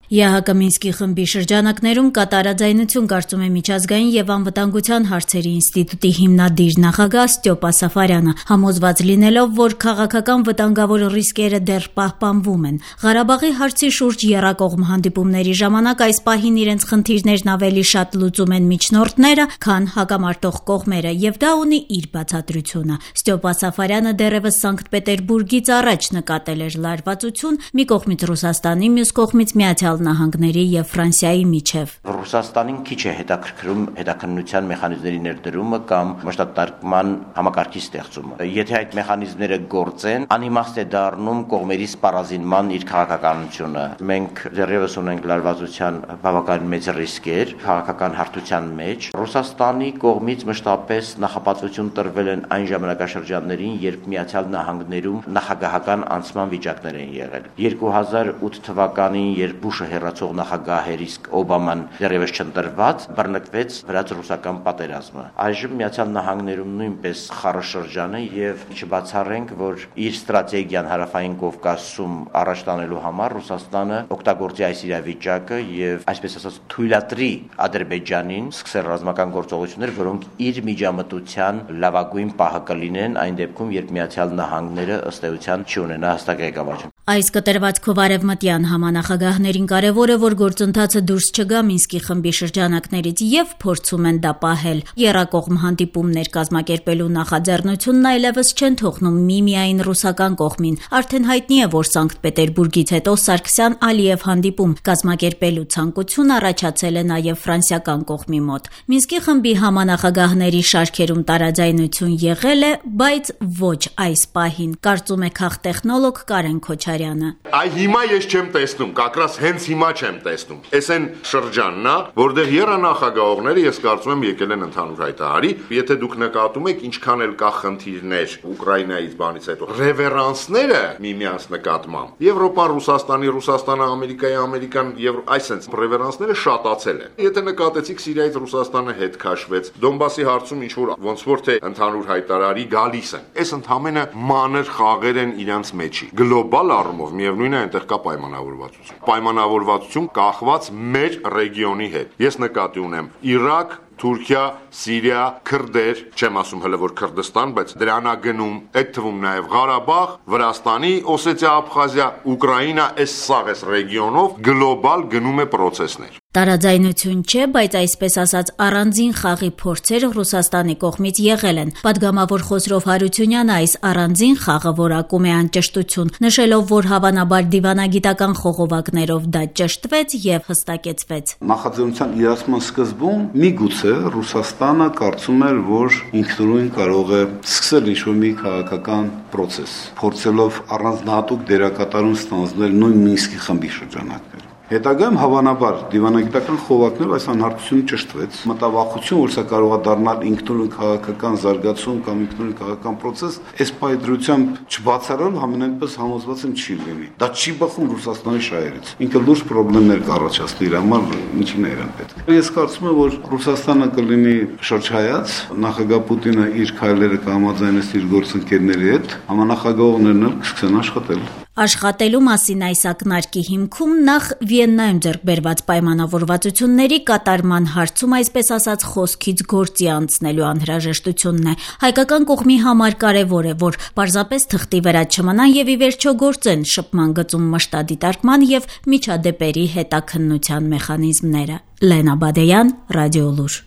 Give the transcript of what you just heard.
ԵԱՀԿ Մինսկի խմբի շրջանակներում կատարաձայնություն կարծում է միջազգային եւ անվտանգության հարցերի ինստիտուտի հիմնադիր նախագահ Ստյոպա Սաֆարյանը, համոզված լինելով, որ քաղաքական վտանգավոր ռիսկերը դեռ պահպանվում են։ Ղարաբաղի հարցի շուրջ եռակողմ հանդիպումների ժամանակ այս պահին իրենց խնդիրներն ավելի շատ լուծում են միջնորդները, քան հակամարտող կողմերը, եւ դա ունի իր բացատրությունը։ Ստյոպա Սաֆարյանը դեռևս Սանկտ Պետերբուրգից առաջ նկատել էր լարվածություն մի կողմից Ռուսաստանի, մյուս կողմից Միացյալ Նահանգների եւ Ֆրանսիայի միջև։ Ռուսաստանին քիչ է հետաքրքրում հետաքննության մեխանիզմների ներդրումը կամ մշտատարկման համակարգի ստեղծումը։ Եթե այդ մեխանիզմները գործեն, անիմաստ է դառնում կողմերի սպառազինման իր քաղաքականությունը։ Մենք դեռևս ունենք լարվածության բավականին մեծ ռիսկեր քաղաքական հարթության մեջ։ Ռուսաստանի կողմից մշտապես նախապատվություն տրվել են այն ժամանակաշրջաններին, երբ Միացյալ Նահանգներում նախագահական անցման վիճակներ են եղել։ 2008 թվականին, երբ Բուշը հեռացող նախագահ էր, իսկ Օբաման դեռևս չընտրված, բռնկվեց վրաց-ռուսական պատերազմը։ Այժմ Միացյալ Նահանգներում նույնպես խառը շրջան է եւ չբացառենք, որ իր ստրատեգիան Հարավային Կովկասում առաջ տանելու համար Ռուսաստանը օգտագործի այս իրավիճակը եւ այսպես ասած թույլատրի Ադրբեջանին սկսել ռազմական գործողություններ, որոնք իր միջամտության լավագույն պահը կլինեն այն դեպքում, երբ Միացյալ Նահանգները ըստ էության չունենա հստակ ղեկավարություն։ Այս կտրվածքով արևմտյան համանախագահներին կարևոր է, որ գործընթացը դուրս չգա Մինսկի խմբի շրջանակներից եւ փորձում են դա պահել։ Եռակողմ հանդիպումներ կազմակերպելու նախաձեռնությունն այլևս չեն թողնում միմիայն ռուսական կողմին։ Արդեն հայտնի է, որ Սանկտ Պետերբուրգից հետո Սարգսյան-Ալիև հանդիպում կազմակերպելու ցանկություն առաջացել է նաեւ ֆրանսիական կողմի մոտ։ Մինսկի խմբի համանախագահների շարքերում տարաձայնություն եղել է, բայց ոչ այս պահին, կարծում է քաղտեխնոլոգ Կարեն Քոչարյանը։ Այ հիմա ես չեմ տեսնում, կակրաս հենց հիմա չեմ տեսնում։ Էս այն շրջանն է, որտեղ երանախագահողները ես կարծում եմ եկել են ընդհանուր հայտարարի, եթե դուք նկատում եք ինչքան էլ կա խնդիրներ Ուկրաինայից բանից հետո, ռևերանսները միմյանց նկատմամբ Եվրոպան, Ռուսաստանի, Ռուսաստանը, Ամերիկայի, Ամերիկան եւ այսպես ռևերանսները շատացել են։ Եթե նկատեցիք Սիրիայից Ռուսաստանը հետ քաշվեց, Դոնբասի հարցում ինչ որ ոնց որ թե ընդհանուր հայտարարի գալիս են։ Այս ընդհանրապես մանր խաղեր են իրանց մեջի։ Գլոբալ առումով միևնույն է այնտեղ կա պայմանավորվածություն։ Պայմանավորվածություն կախված մեր ռեգիոնի հետ։ Ես նկատի ունեմ Իրաք, Թուրքիա, Սիրիա, քրդեր, չեմ ասում հələ որ Քրդստան, բայց դրանագնում, այդ թվում նաև Ղարաբաղ, Վրաստանի, Օսեթիա, Աբխազիա, Ուկրաինա, այս սաղ այս ռեգիոնով գլոբալ գնում է process-ներ։ Տարաձայնություն չէ, բայց այսպես ասած առանձին խաղի փորձեր Ռուսաստանի կողմից եղել են։ Պատգամավոր Խոսրով Հարությունյանը այս առանձին խաղը որակում է անճշտություն, նշելով, որ հավանաբար դիվանագիտական խողովակներով դա ճշտվեց եւ հստակեցվեց։ Նախաձեռնության իրացման սկզբում միգուցե Ռուսաստանը կարծում էր, որ ինքնուրույն կարող է սկսել ինչ-որ մի քաղաքական process, փորձելով առանձնահատուկ դերակատարում ստանձնել նույն Մինսկի խմբի շրջանակներում։ Հետագայում հավանաբար դիվանագիտական խողովակներով այս անհարթությունը ճշտվեց։ Մտավախություն, որ սա կարող է դառնալ ինքնուրույն քաղաքական զարգացում կամ ինքնուրույն քաղաքական process, այս պայծրությամբ չբացառել համենայնպես համոզված եմ չի լինի։ Դա չի բխում Ռուսաստանի շահերից։ Ինքը լուրջ խնդիրներ կառաջացնի իր համար, ինչին է իրան պետք։ Ես կարծում եմ, որ Ռուսաստանը կլինի շրջայաց, նախագահ Պուտինը իր քայլերը կհամաձայնեցնի իր գործընկերների հետ, համանախագահողներն էլ կսկսեն աշխատել։ Աշխատելու մասին այս ակնարկի հիմքում նախ Վիեննայում ձեռք բերված պայմանավորվածությունների կատարման հարցում այսպես ասած խոսքից գործի անցնելու անհրաժեշտությունն է։ Հայկական կողմի համար կարևոր է, որ պարզապես թղթի վրա չմնան եւ ի վերջո գործեն շփման գծում մշտադիտարկման եւ միջադեպերի հետաքննության մեխանիզմները։ Լենա Բադեյան, Ռադիոլուր։